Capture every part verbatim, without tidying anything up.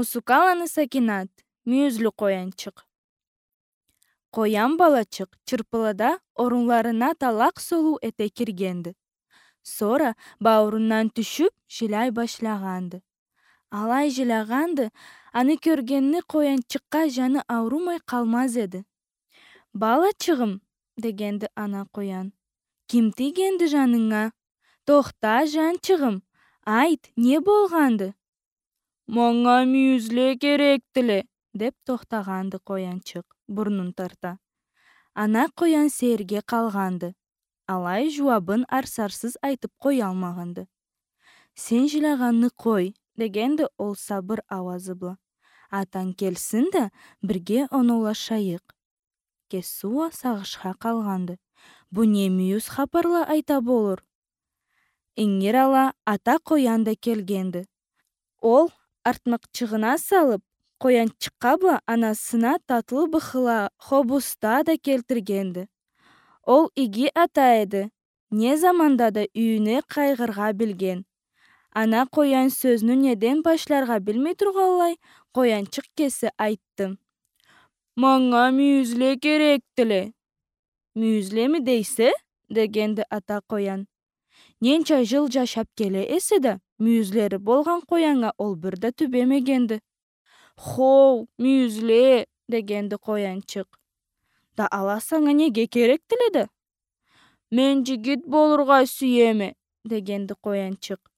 Усукаланы Сакинат. Мюйюзлю къоянчыкъ. Къоян балачыкъ чырпылыда орунларына талакъ солуу эте киргенди. Сора бауурундан тюшюп, жиляй башлагъанды. Алай жилягъанды, аны кёргенни къоянчыкъгъа жаны аурумай къалмаз эди. «Балачыгъым», — дегенди ана къоян. — «Ким тийгенди жанынга? Тохта, жанчыгъым, айт, не болгъанды?» «Манга мюйюзле керекдиле», — деп тохтагъанды къоянчыкъ, бурнун тарта. Ана къоян сейирге къалгъанды. Алай жууабын арсарсыз айтып къоялмагъанды. «Сен жилягъанны къой», — дегенди ол сабыр ауазы бла. — «Атанг келсин да, бирге оноулашайыкъ». Кеси уа сагъышха къалгъанды. Бу не мюйюз хапарла айта болур? Ингир ала ата къоян да келгенди. Ол артмакъчыгъына салып, къоянчыкъгъа бла анасына татлы быхыла, хобуста да келтиргенди. Ол иги ата эди. Не заманда да юйюне къайгъыргъа билген. Ана къоян сёзню неден башларгъа билмей тургъанлай, къоянчыкъ кеси айтды: «Манга мюйюзле керекдиле». «Мюйюзлеми дейсе?» — дегенди ата къоян. «Ненча жыл жашап келе эсе да, мюйюзлери болгъан къояннга ол бир да тюбемегенди». «Хоу, мюйюзле», — дегенди къоянчыкъ. «Да ала санга неге керекдиле да?» «Мен жигит болургъа сюеме», — дегенди къоянчыкъ.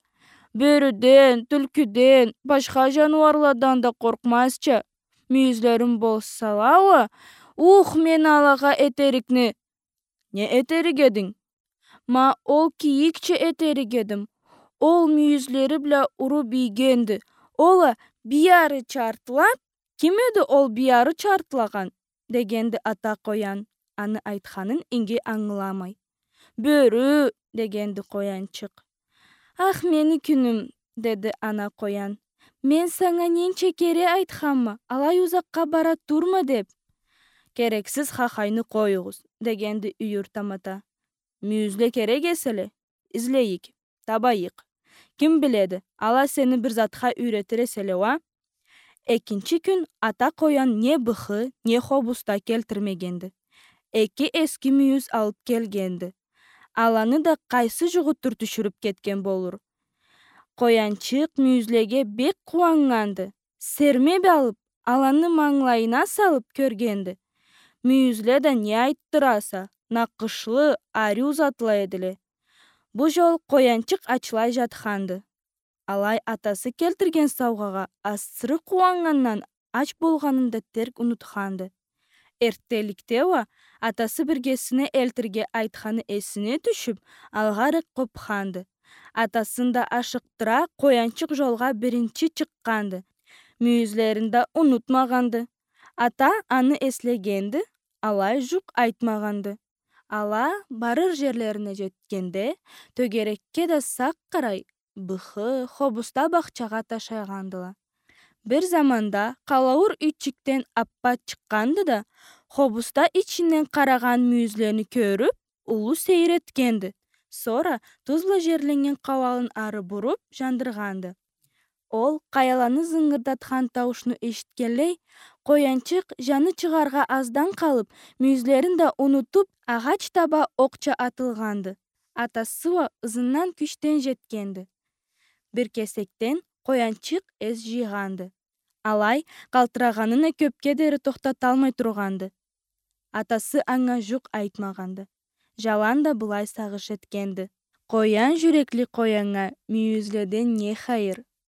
«Бёрюден, тюлкюден, башха жаныуарладан да къоркъмазча, мюйюзлерим болсала уа, ух, мен алагъа этерикни». «Не этерик эдинг?» «Ма ол кийикча этерик эдим. Ол мюйюзлери бла уруп ийгенди. Ол а бир ары чартылап». «Ким эди ол бир ары чартылагъан?» — дегенди ата къоян, аны айтханын иги ангыламай. «Бёрю», — дегенди къоянчыкъ. «Ах, мени кюнюм», — деди ана къоян. «Мен санга ненча кере айтханма, алай узакъгъа бара турма деп». «Керексиз хахайны къоюгъуз», — дегенди юйюр тамата. «Мюйюзле керек эселе, излейик, табайыкъ. Ким биледи, ала сени бир затха юйретир эселе уа». Экинчи кюн ата къоян не быхы, не хобуста келтирмегенди. Эки эски мюйюз алып келгенди. Аланы да къайсы жугъутдур тюшюрюп кетген болур. Къоянчыкъ мюйюзлеге бек къууаннганды. Сермеп алып, аланы мангылайына салып кёргенди. Мюйюзле да не айтдыраса, накъышлы, ариу затла эдиле. Бу жол къоянчыкъ ачлай жатханды. Алай атасы келтирген саугъагъа асыры къууаннгандан ач болгъанын да терк унутханды. Эрттенликде уа атасы биргесине элтирге айтханы эсине тюшюп, алгъаракъ къопханды. Атасын да ашыкъдыра, къоянчыкъ жолгъа биринчи чыкъгъанды. Мюйюзлерин да унутмагъанды. Ата аны эслегенди, алай жукъ айтмагъанды. Ала барыр жерлерине жетгенде, тёгерекге да сакъ къарай, быхы, хобуста бахчагъа ташайгъандыла. Бир заманда къалауур юйчюкден аппа чыкъгъанды да, хобуста ичинден къарагъан мюйюзлени кёрюп, уллу сейир этгенди. Сора туз бла жерленнген къауалын ары буруп, жандыргъанды. Ол къаяланы зынгырдатхан тауушну эшитгенлей, къоянчыкъ, жаны чыгъаргъа аздан къалып, мюйюзлерин да унутуп, агъач таба окъча атылгъанды. Атасы уа ызындан кючден жетгенди. Бир кесекден къоянчыкъ эс жыйгъанды. Алай къалтырагъанын а кёпге дери тохтаталмай тургъанды. Атасы анга жукъ айтмагъанды. Жаланда былай сагъыш этгенди: «Къоян жюрекли къояннга мюйюзледен не хайыр?